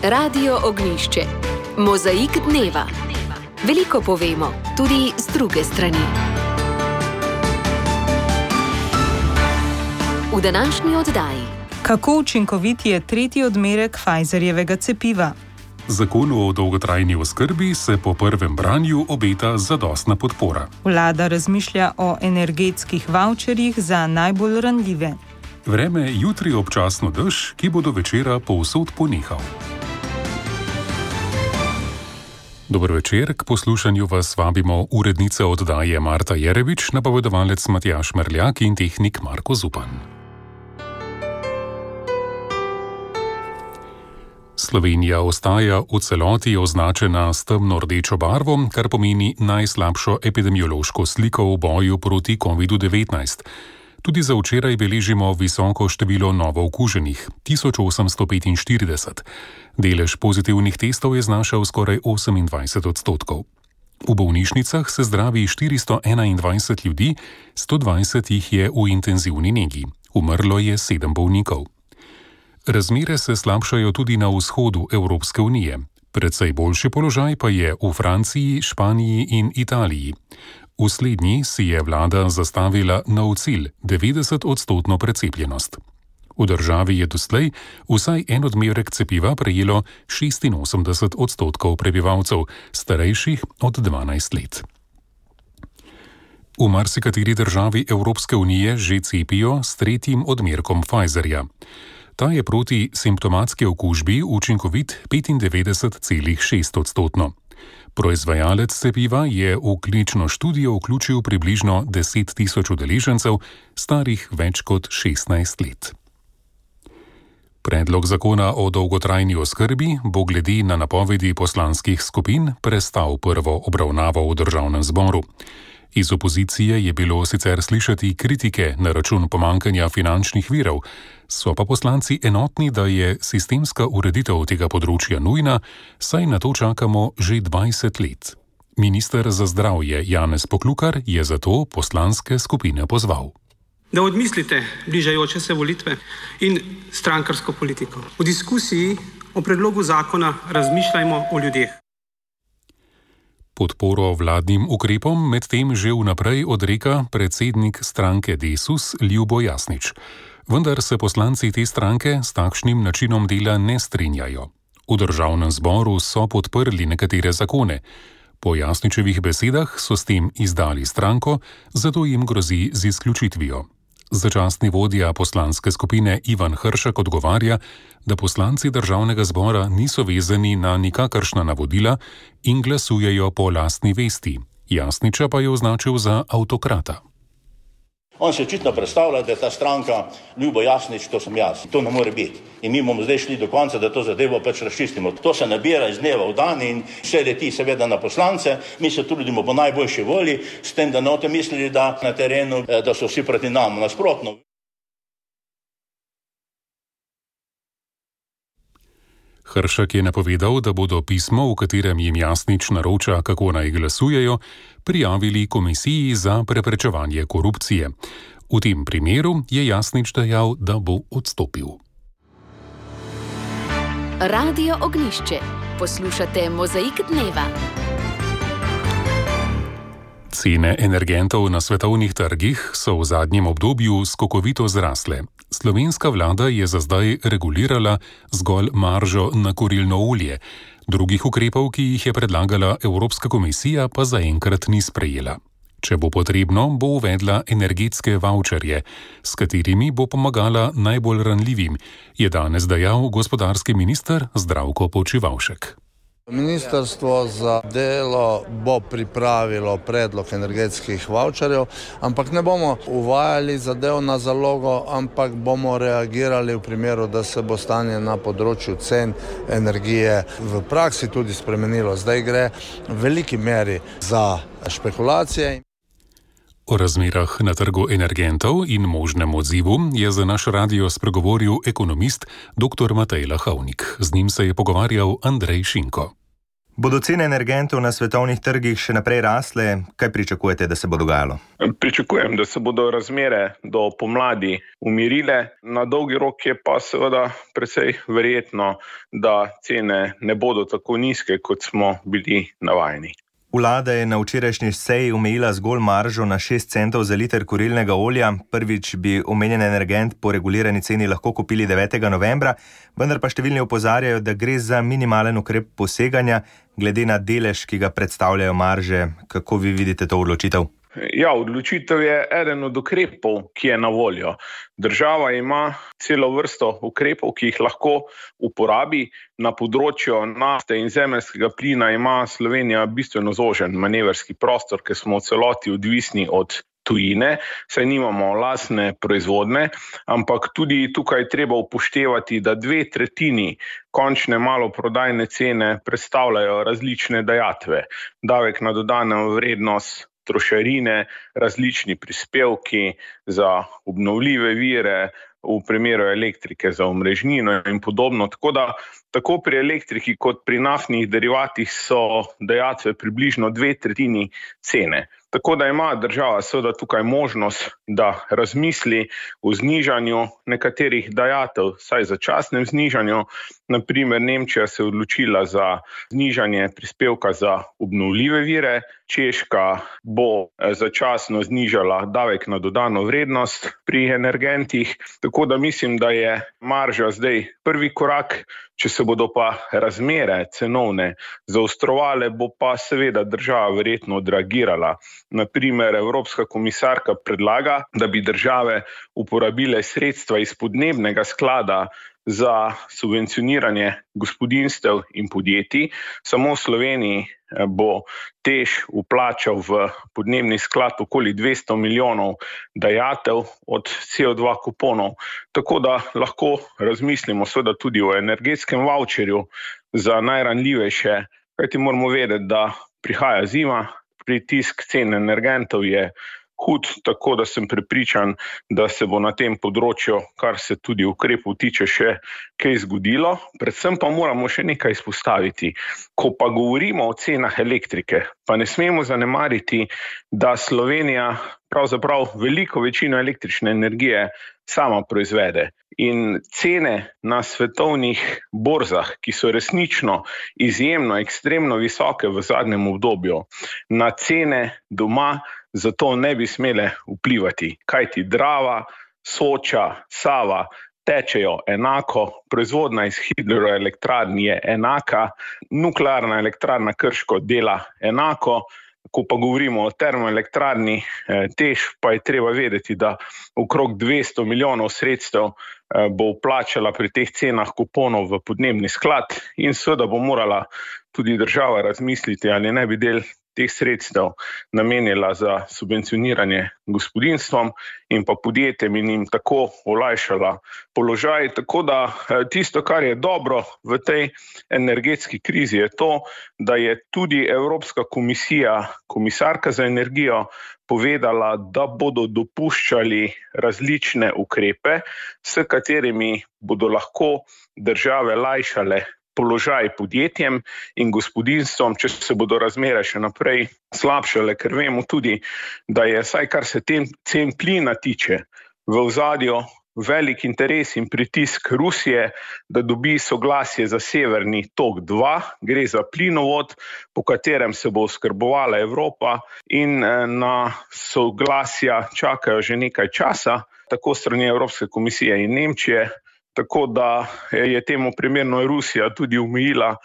Radio Ognjišče. Mozaik dneva. Veliko povemo, tudi z druge strani. V današnji oddaji. Kako učinkovit je tretji odmerek Pfizerjevega cepiva? Zakonu o dolgotrajni oskrbi se po prvem branju obeta zadostna podpora. Vlada razmišlja o energetskih vavčerjih za najbolj ranljive. Vreme jutri občasno dež, ki bo do večera povsod ponehal. Dober večer, k poslušanju vas vabimo urednica oddaje Marta Jerevič, napovedovalec Matjaž Merljak in tehnik Marko Zupan. Slovenija ostaja v celoti označena s temno-rdečo barvo, kar pomeni najslabšo epidemiološko sliko v boju proti COVID-19. Tudi za včeraj beležimo visoko število novookuženih, 1845. Delež pozitivnih testov je znašal skoraj 28%. V bolnišnicah se zdravi 421 ljudi, 120 jih je v intenzivni negi. Umrlo je 7 bolnikov. Razmere se slabšajo tudi na vzhodu Evropske unije. Precej boljši položaj pa je v Franciji, Španiji in Italiji. V slednji si je vlada zastavila nov cilj, 90% precepljenost. V državi je doslej vsaj en odmerek cepiva prejelo 86% prebivalcev, starejših od 12 let. V marsikateri državi Evropske unije že cepijo s tretjim odmerkom Pfizerja. Ta je proti simptomatski okužbi učinkovit 95,6%. Proizvajalec cepiva je v klinično študijo vključil približno 10.000 udeležencev, starih več kot 16 let. Predlog zakona o dolgotrajni oskrbi bo glede na napovedi poslanskih skupin prestal prvo obravnavo v državnem zboru. Iz opozicije je bilo sicer slišati kritike na račun pomanjkanja finančnih virov, so pa poslanci enotni, da je sistemska ureditev tega področja nujna, saj na to čakamo že 20 let. Minister za zdravje Janez Poklukar je zato poslanske skupine pozval. Da odmislite bližajoče se volitve in strankarsko politiko. V diskusiji o predlogu zakona razmišljajmo o ljudeh. Podporo vladnim ukrepom medtem že vnaprej odreka predsednik stranke Desus Ljubo Jasnič. Vendar se poslanci te stranke s takšnim načinom dela ne strinjajo. V državnem zboru so podprli nekatere zakone. Po Jasničevih besedah so s tem izdali stranko, zato jim grozi z izključitvijo. Začasni vodja poslanske skupine Ivan Hršak odgovarja, da poslanci državnega zbora niso vezani na nikakršna navodila in glasujejo po lastni vesti. Jasniča pa je označil za avtokrata. On se očitno predstavlja, da je ta stranka Ljubo Jasnič, to sem jaz. To ne more biti. In mi bomo zdaj šli do konca, da to zadevo pač razčistimo. To se nabira iz dneva v dan in vse leti seveda na poslance. Mi se trudimo po najboljši volji, s tem, da note mislili, da na terenu, da so vsi proti nam nasprotno. Hršak je napovedal, da bodo pismo, v katerem jim Jasnič naroča, kako naj glasujejo, prijavili Komisiji za preprečevanje korupcije. V tem primeru je Jasnič dejal, da bo odstopil. Radio Ognjišče. Poslušate Mozaik dneva. Cene energentov na svetovnih trgih so v zadnjem obdobju skokovito zrasle. Slovenska vlada je za zdaj regulirala zgolj maržo na kurilno olje. Drugih ukrepov, ki jih je predlagala Evropska komisija, pa zaenkrat ni sprejela. Če bo potrebno, bo uvedla energetske vavčerje, s katerimi bo pomagala najbolj ranljivim, je danes dejal gospodarski minister Zdravko Počivalšek. Ministrstvo za delo bo pripravilo predlog energetskih vavčerjev, ampak ne bomo uvajali zadev na zalogo, ampak bomo reagirali v primeru, da se bo stanje na področju cen energije v praksi tudi spremenilo. Zdaj gre v veliki meri za špekulacije. O razmerah na trgu energentov in možnem odzivu je za naš radio spregovoril ekonomist dr. Matej Lahovnik. Z njim se je pogovarjal Andrej Šinko. Bodo cene energentov na svetovnih trgih še naprej rasle? Kaj pričakujete, da se bo dogajalo? Pričakujem, da se bodo razmere do pomladi umirile. Na dolgi rok je pa seveda precej verjetno, da cene ne bodo tako nizke, kot smo bili navajeni. Vlada je na včerajšnji seji omejila zgolj maržo na 6 centov za liter kurilnega olja. Prvič bi omenjen energent po regulirani ceni lahko kupili 9. novembra, vendar pa številni opozarjajo, da gre za minimalen ukrep poseganja, glede na delež, ki ga predstavljajo marže. Kako vi vidite to odločitev? Ja, odločitev je eden od ukrepov, ki je na voljo. Država ima celo vrsto ukrepov, ki jih lahko uporabi. Na področju nafte in zemeljskega plina ima Slovenija bistveno zožen manevrski prostor, ker smo v celoti odvisni od tujine, saj nimamo lastne proizvodne, ampak tudi tukaj treba upoštevati, da 2/3 končne maloprodajne cene predstavljajo različne dajatve. Davek na dodano vrednost, trošarine, različni prispevki za obnovljive vire, v primeru elektrike za omrežnino in podobno. Tako da tako pri elektriki kot pri naftnih derivatih so dajatve približno 2/3 cene. Tako da ima država seveda tukaj možnost, da razmisli o znižanju nekaterih dajatev, saj začasnem znižanju. Na primer, Nemčija se je odločila za znižanje prispevka za obnovljive vire, Češka bo začasno znižala davek na dodano vrednost pri energentih. Tako da mislim, da je marža zdaj prvi korak. Če se bodo pa razmere cenovne zaostrovale, bo pa seveda država verjetno odreagirala. Na primer, Evropska komisarka predlaga, da bi države uporabile sredstva iz podnebnega sklada za subvencioniranje gospodinjstev in podjetij. Samo v Sloveniji bo TEŠ vplačal v podnebni sklad okoli 200 milijonov dajatev od CO2 kuponov. Tako da lahko razmislimo seveda tudi o energetskem vavčerju za najranljivejše, kajti moramo vedeti, da prihaja zima, pritisk cen energentov je hud, tako da sem prepričan, da se bo na tem področju, kar se tudi ukrepov tiče, še kaj zgodilo. Predvsem pa moramo še nekaj izpostaviti. Ko pa govorimo o cenah elektrike, pa ne smemo zanemariti, da Slovenija pravzaprav veliko večino električne energije sama proizvede. In cene na svetovnih borzah, ki so resnično izjemno, ekstremno visoke v zadnjem obdobju, na cene doma zato ne bi smele vplivati. Kajti Drava, Soča, Sava tečejo enako, proizvodnja iz hidroelektrarn je enaka, nuklearna elektrarna Krško dela enako. Ko pa govorimo o termoelektrarni TEŠ, pa je treba vedeti, da okrog 200 milijonov sredstev bo vplačala pri teh cenah kuponov v podnebni sklad in seveda bo morala tudi država razmisliti, ali ne bi del teh sredstev namenila za subvencioniranje gospodinjstvom in pa podjetjem in jim tako olajšala položaj. Tako da tisto, kar je dobro v tej energetski krizi, je to, da je tudi Evropska komisija, komisarka za energijo, povedala, da bodo dopuščali različne ukrepe, s katerimi bodo lahko države lajšale položaj podjetjem in gospodinjstvom, če se bodo razmere še naprej slabšale, ker vemo tudi, da je, saj kar se cen plina tiče, v ozadju velik interes in pritisk Rusije, da dobi soglasje za Severni tok 2, gre za plinovod, po katerem se bo oskrbovala Evropa in na soglasja čakajo že nekaj časa, tako strani Evropske komisije in Nemčije. Tako da je temu primerno Rusija tudi omejila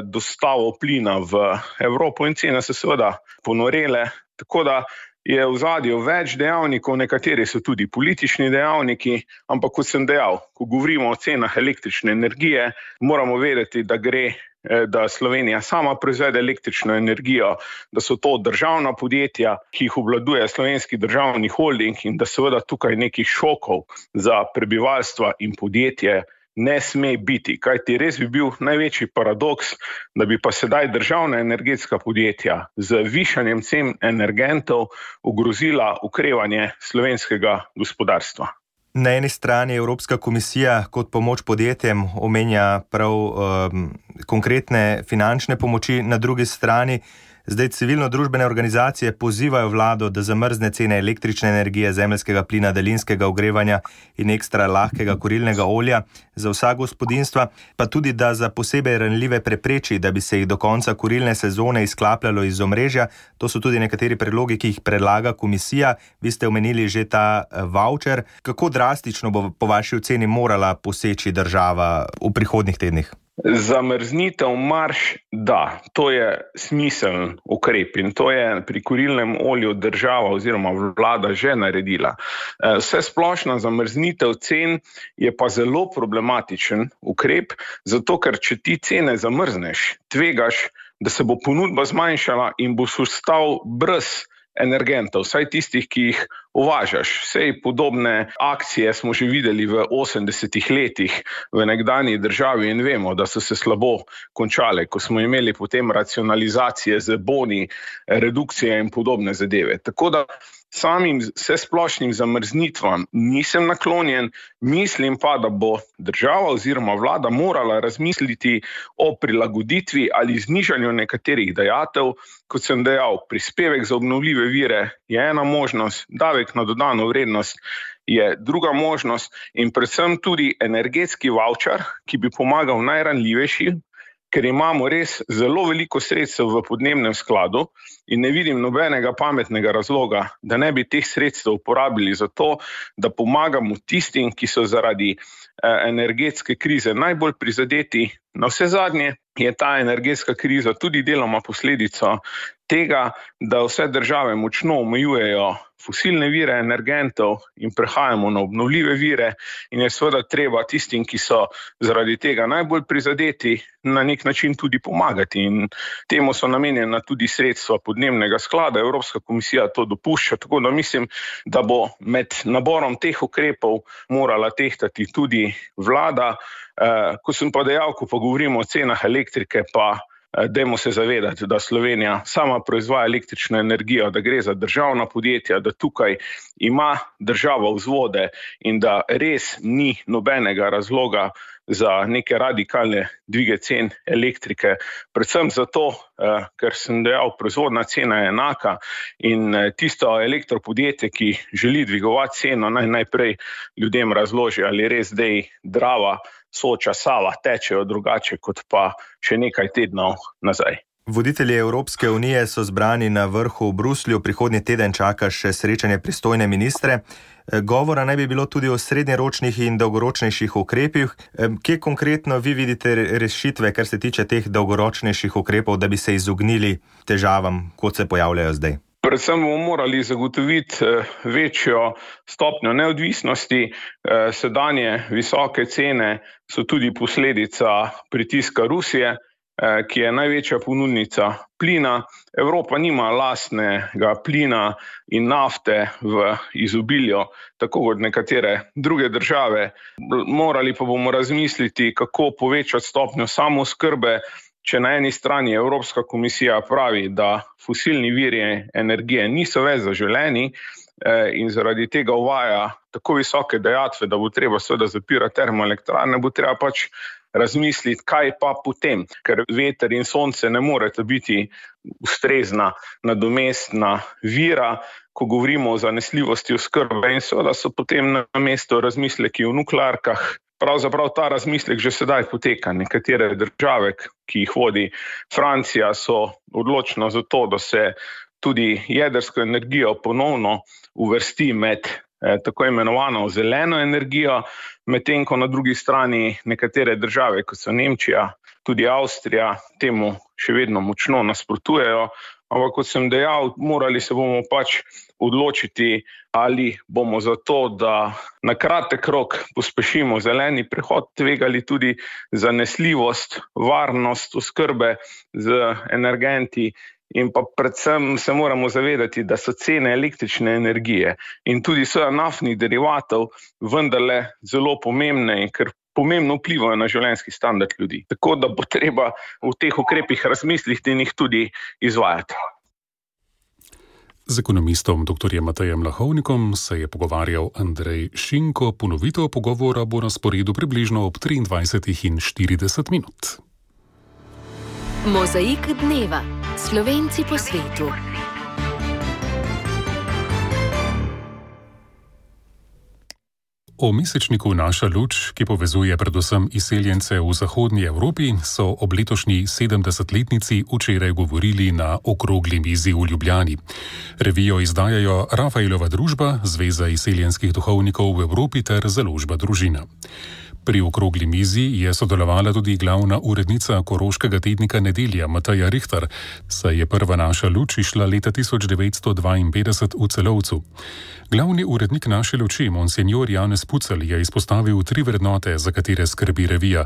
dostavo plina v Evropo in cene se seveda ponorele. Tako da je v ozadju več dejavnikov, nekateri so tudi politični dejavniki, ampak kot sem dejal, ko govorimo o cenah električne energije, moramo vedeti, da Slovenija sama proizvede električno energijo, da so to državna podjetja, ki jih obvladuje Slovenski državni holding in da seveda tukaj nekih šokov za prebivalstva in podjetje ne sme biti. Kajti res bi bil največji paradoks, da bi pa sedaj državna energetska podjetja z višanjem cen energentov ogrozila okrevanje slovenskega gospodarstva. Na eni strani Evropska komisija kot pomoč podjetjem omenja prav konkretne finančne pomoči, na drugi strani zdaj civilno-družbene organizacije pozivajo vlado, da zamrzne cene električne energije, zemeljskega plina, daljinskega ogrevanja in ekstra lahkega kurilnega olja za vsa gospodinjstva, pa tudi, da za posebej ranljive prepreči, da bi se jih do konca kurilne sezone izklapljalo iz omrežja. To so tudi nekateri predlogi, ki jih predlaga komisija. Vi ste omenili že ta voucher. Kako drastično bo po vaši oceni morala poseči država v prihodnjih tednih? Zamrznitev marž, da, to je smiseln ukrep in to je pri kurilnem olju država oziroma vlada že naredila. Vse splošna zamrznitev cen je pa zelo problematičen ukrep, zato ker če ti cene zamrzneš, tvegaš, da se bo ponudba zmanjšala in boš ostal brez energentov, vsaj tistih, ki jih uvažaš. Vsej podobne akcije smo že videli v 80-ih letih v nekdanji državi in vemo, da so se slabo končale, ko smo imeli potem racionalizacije z boni, redukcije in podobne zadeve. Tako da samim vsesplošnim zamrznitvam nisem naklonjen, mislim pa, da bo država oziroma vlada morala razmisliti o prilagoditvi ali znižanju nekaterih dajatev. Kot sem dejal, prispevek za obnovljive vire je ena možnost, davek na dodano vrednost je druga možnost in predvsem tudi energetski voucher, ki bi pomagal najranljivejšim, ker imamo res zelo veliko sredstev v podnebnem skladu in ne vidim nobenega pametnega razloga, da ne bi teh sredstev uporabili za to, da pomagamo tistim, ki so zaradi energetske krize najbolj prizadeti. Navsezadnje je ta energetska kriza tudi deloma posledica tega, da vse države močno omejujejo fosilne vire energentov in prehajamo na obnovljive vire in je seveda treba tistim, ki so zaradi tega najbolj prizadeti, na nek način tudi pomagati in temu so namenjena tudi sredstva podnebnega sklada. Evropska komisija to dopušča, tako da mislim, da bo med naborom teh ukrepov morala tehtati tudi vlada. Ko sem pa dejal, ko pa govorimo o cenah elektrike, pa dajmo se zavedati, da Slovenija sama proizvaja električno energijo, da gre za državna podjetja, da tukaj ima država vzvode in da res ni nobenega razloga za neke radikalne dvige cen elektrike. Predvsem zato, ker sem dejal, proizvodna cena je enaka in tisto elektropodjetje, ki želi dvigovati ceno, najprej ljudem razloži, ali res zdaj Drava, Soča, Sava tečejo drugače kot pa še nekaj tednov nazaj. Voditelji Evropske unije so zbrani na vrhu v Bruslju, prihodnji teden čaka še srečanje pristojne ministre. Govora naj bi bilo tudi o srednjeročnih in dolgoročnejših ukrepih. Kje konkretno vi vidite rešitve, kar se tiče teh dolgoročnejših ukrepov, da bi se izognili težavam, kot se pojavljajo zdaj? Predvsem bomo morali zagotoviti večjo stopnjo neodvisnosti. Sedanje visoke cene so tudi posledica pritiska Rusije, ki je največja ponudnica plina. Evropa nima lastnega plina in nafte v izobilju, tako kot nekatere druge države. Morali pa bomo razmisliti, kako povečati stopnjo samooskrbe. Če na eni strani Evropska komisija pravi, da fosilni viri energije niso več zaželeni in zaradi tega uvaja tako visoke dajatve, da bo treba seveda zapirati termoelektrarne, bo treba pač razmisliti, kaj pa potem, ker veter in sonce ne morete biti ustrezna nadomestna vira, ko govorimo o zanesljivosti oskrbe in seveda so potem na mesto razmisleki o nuklearkah. Pravzaprav ta razmislek že sedaj poteka. Nekatere države, ki jih vodi Francija, so odločno za to, da se tudi jedrsko energijo ponovno uvrsti med tako imenovano zeleno energijo, medtem ko na drugi strani nekatere države, kot so Nemčija, tudi Avstrija, temu še vedno močno nasprotujejo. Ampak kot sem dejal, morali se bomo pač odločiti, ali bomo za to, da na kratek rok pospešimo zeleni prehod, tvegali tudi zanesljivost, varnost oskrbe z energenti in pa predvsem se moramo zavedati, da so cene električne energije in tudi naftnih derivatov vendarle zelo pomembne in ker pomembno vplivajo na življenjski standard ljudi. Tako da bo treba v teh ukrepih razmisliti in jih tudi izvajati. Z ekonomistom dr. Matejem Lahovnikom se je pogovarjal Andrej Šinko. Ponovitev pogovora bo na sporedu približno ob 23:40. Mozaik dneva. Slovenci po svetu. O mesečniku Naša luč, ki povezuje predvsem izseljence v zahodnji Evropi, so ob letošnji 70-letnici včeraj govorili na okrogli mizi v Ljubljani. Revijo izdajajo Rafaelova družba, Zveza izseljenskih duhovnikov v Evropi ter Založba Družina. Pri okrogli mizi je sodelovala tudi glavna urednica koroškega tednika Nedelja Mateja Rihtar, saj je prva Naša luč išla leta 1952 v Celovcu. Glavni urednik Naše luči, monsenjor Janez Pucelj, je izpostavil 3 vrednote, za katere skrbi revija: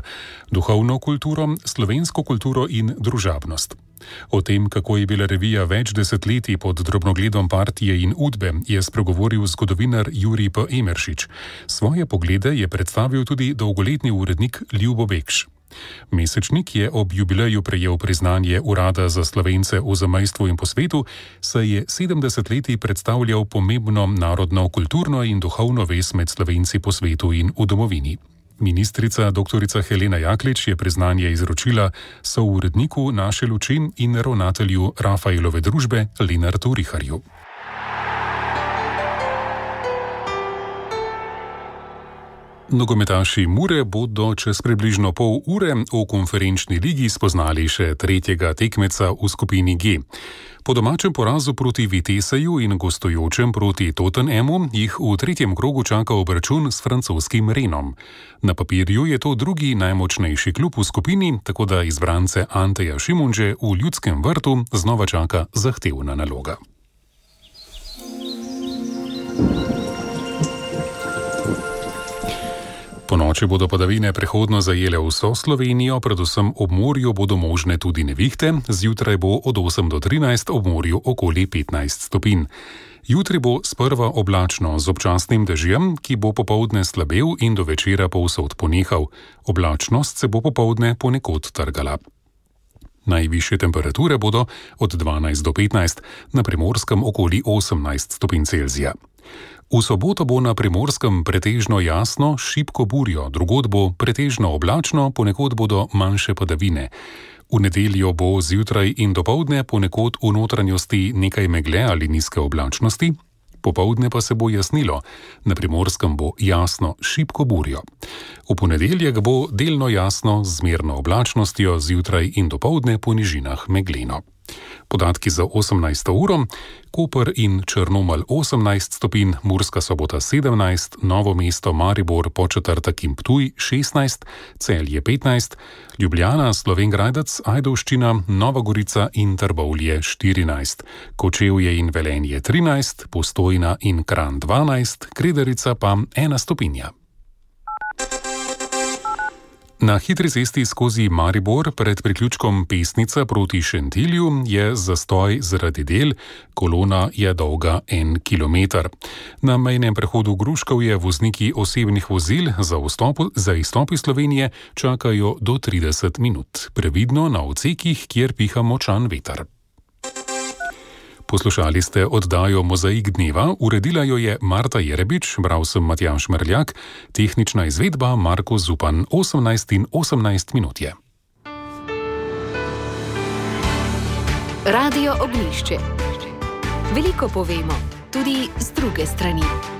duhovno kulturo, slovensko kulturo in družabnost. O tem, kako je bila revija več desetletij pod drobnogledom partije in Udbe, je spregovoril zgodovinar Jurij P. Emeršič. Svoje poglede je predstavil tudi dolgoletni urednik Ljubo Bekš. Mesečnik je ob jubileju prejel priznanje Urada za Slovence v zamejstvu in po svetu, saj je 70 letij predstavljal pomembno narodno, kulturno in duhovno vez med Slovenci po svetu in v domovini. Ministrica dr. Helena Jaklič je priznanje izročila souredniku Naše luči in ravnatelju Rafaelove družbe Lenartu Riharju. Nogometaši Mure bodo čez približno pol ure v konferenčni ligi spoznali še tretjega tekmeca v skupini G. Po domačem porazu proti Viteseju in gostujočem proti Tottenhamu jih v tretjem krogu čaka obračun s francoskim Renom. Na papirju je to drugi najmočnejši klub v skupini, tako da izbrance Anteja Šimunže v Ljudskem vrtu znova čaka zahtevna naloga. Ponoči bodo padavine prehodno zajele vso Slovenijo, predvsem ob morju bodo možne tudi nevihte, zjutraj bo od 8 do 13, ob morju okoli 15 stopinj. Jutri bo sprva oblačno z občasnim dežjem, ki bo popoldne slabel in do večera povsod ponehal. Oblačnost se bo popoldne ponekod trgala. Najvišje temperature bodo od 12 do 15, na Primorskem okoli 18 stopinj Celzija. V soboto bo na Primorskem pretežno jasno, šibko burjo, drugod bo pretežno oblačno, ponekod bodo manjše padavine. V nedeljo bo zjutraj in dopoldne ponekod v notranjosti nekaj megle ali nizke oblačnosti, popoldne pa se bo jasnilo, na Primorskem bo jasno, šibko burjo. V ponedeljek bo delno jasno z zmerno oblačnostjo, zjutraj in dopoldne po nižinah megleno. Podatki za 18. uro: Koper in Črnomelj 18 stopinj, Murska Sobota 17, Novo mesto, Maribor, Podčetrtek in Ptuj 16, Celje 15, Ljubljana, Slovenj Gradec, Ajdovščina, Nova Gorica in Trbovlje 14, Kočevje in Velenje 13, Postojna in Kranj 12, Kredarica pa 1 stopinja. Na hitri cesti skozi Maribor pred priključkom Pesnica proti Šentilju je zastoj zaradi del, kolona je dolga 1 kilometer. Na mejnem prehodu Gruškovje vozniki osebnih vozil za izstop iz Slovenije čakajo do 30 minut. Previdno na odsekih, kjer piha močan veter. Poslušali ste oddajo Mozaik dneva, uredila jo je Marta Jerebič, bral sem Matjaž Merljak, tehnična izvedba Marko Zupan, 18:18 je. Radio Ognjišče. Veliko povemo, tudi z druge strani.